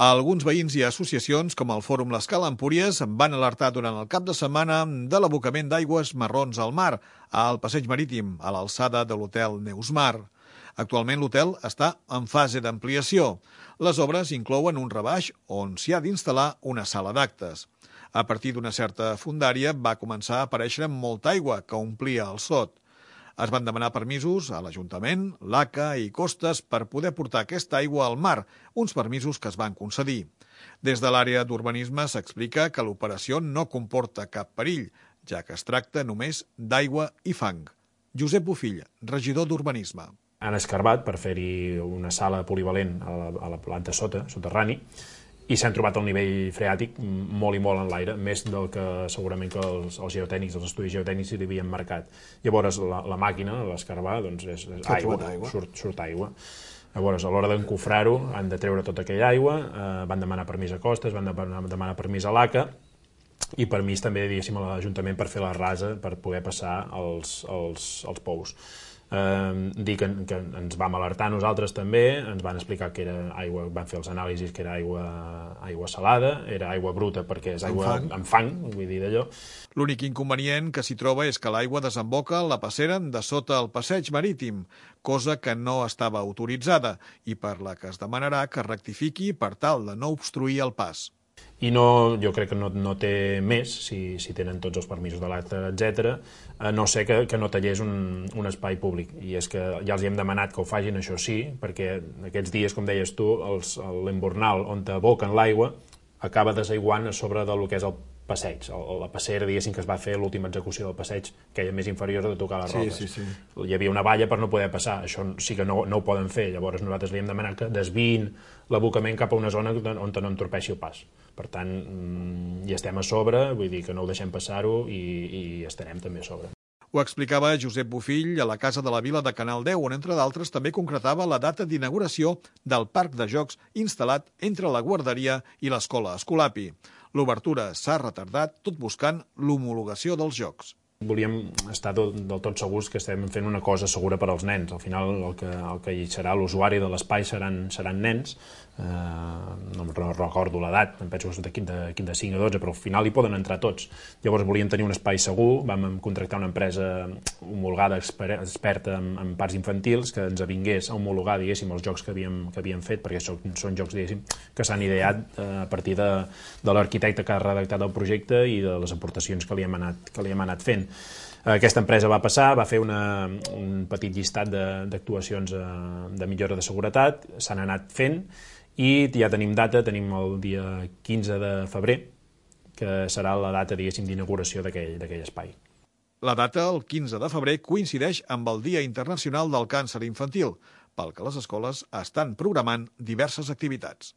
Alguns veïns i associacions, com el Fòrum l'Escala Empúries, van alertar durant el cap de setmana de l'abocament d'aigües marrons al mar, al passeig marítim, a l'alçada de l'hotel Neusmar. Actualment l'hotel està en fase d'ampliació. Les obres inclouen un rebaix on s'hi ha d'instal·lar una sala d'actes. A partir d'una certa fondària va començar a aparèixer molta aigua que omplia el sot. Es van demanar permisos a l'Ajuntament, l'ACA i Costes per poder portar aquesta aigua al mar, uns permisos que es van concedir. Des de l'àrea d'urbanisme s'explica que l'operació no comporta cap perill, ja que es tracta només d'aigua i fang. Josep Bofill, regidor d'Urbanisme. Han escarbat per fer-hi una sala polivalent a la planta soterrani, i s'han trobat el nivell freàtic molt i molt en l'aire, més del que segurament que els geotècnics, els estudis geotècnics li havien marcat. Llavors la màquina, l'escarbar, doncs és aigua, surt aigua. Llavors, a l'hora d'encofrar-ho, han de treure tota aquella aigua, van demanar permís a Costes, van demanar permís a l'ACA, i permís també, diguéssim, a l'Ajuntament per fer la rasa, per poder passar els pous. Dir que ens vam alertar nosaltres també, ens van explicar que era aigua, van fer els anàlisis que era aigua salada, era aigua bruta perquè és aigua amb fang, vull dir d'allò. L'únic inconvenient que s'hi troba és que l'aigua desemboca a la passera de sota el passeig marítim, cosa que no estava autoritzada i per la que es demanarà que rectifiqui per tal de no obstruir el pas. I no, jo crec que no té més, si tenen tots els permisos de l'acte, etc., no sé que no tallés un espai públic. I és que ja els hi hem demanat que ho facin, això sí, perquè aquests dies, com deies tu, l'embornal on aboquen l'aigua acaba desaiguant a sobre del que és el passeig, la passera, diguéssim, que es va fer l'última execució del passeig, que era més inferior de tocar les roques. Sí. Hi havia una valla per no poder passar, això sí que no ho poden fer, llavors nosaltres li hem demanat que desviïn l'abocament cap a una zona on no entorpeixi el pas. Per tant, hi estem a sobre, vull dir que no ho deixem passar-ho i estarem també a sobre. Ho explicava Josep Bofill a la Casa de la Vila de Canal 10, on, entre d'altres, també concretava la data d'inauguració del parc de jocs instal·lat entre la guarderia i l'escola Escolapi. L'obertura s'ha retardat tot buscant l'homologació dels jocs. Volíem estar del tot segurs que estem fent una cosa segura per als nens. Al final el que hi serà l'usuari de l'espai seran nens, no recordo l'edat, em penso que són de 5 a 12, però al final hi poden entrar tots. Llavors volíem tenir un espai segur, vam contractar una empresa homologada, experta en parcs infantils, que ens vingués a homologar, diguéssim, els jocs que havíem fet, perquè són jocs, diguéssim, que s'han ideat a partir de l'arquitecte que ha redactat el projecte i de les aportacions que li hem anat fent. Aquesta empresa va passar, va fer un petit llistat d'actuacions de millora de seguretat, s'han anat fent i ja tenim data, tenim el dia 15 de febrer, que serà la data, diguéssim, d'inauguració d'aquell espai. La data, el 15 de febrer, coincideix amb el Dia Internacional del Càncer Infantil, pel que les escoles estan programant diverses activitats.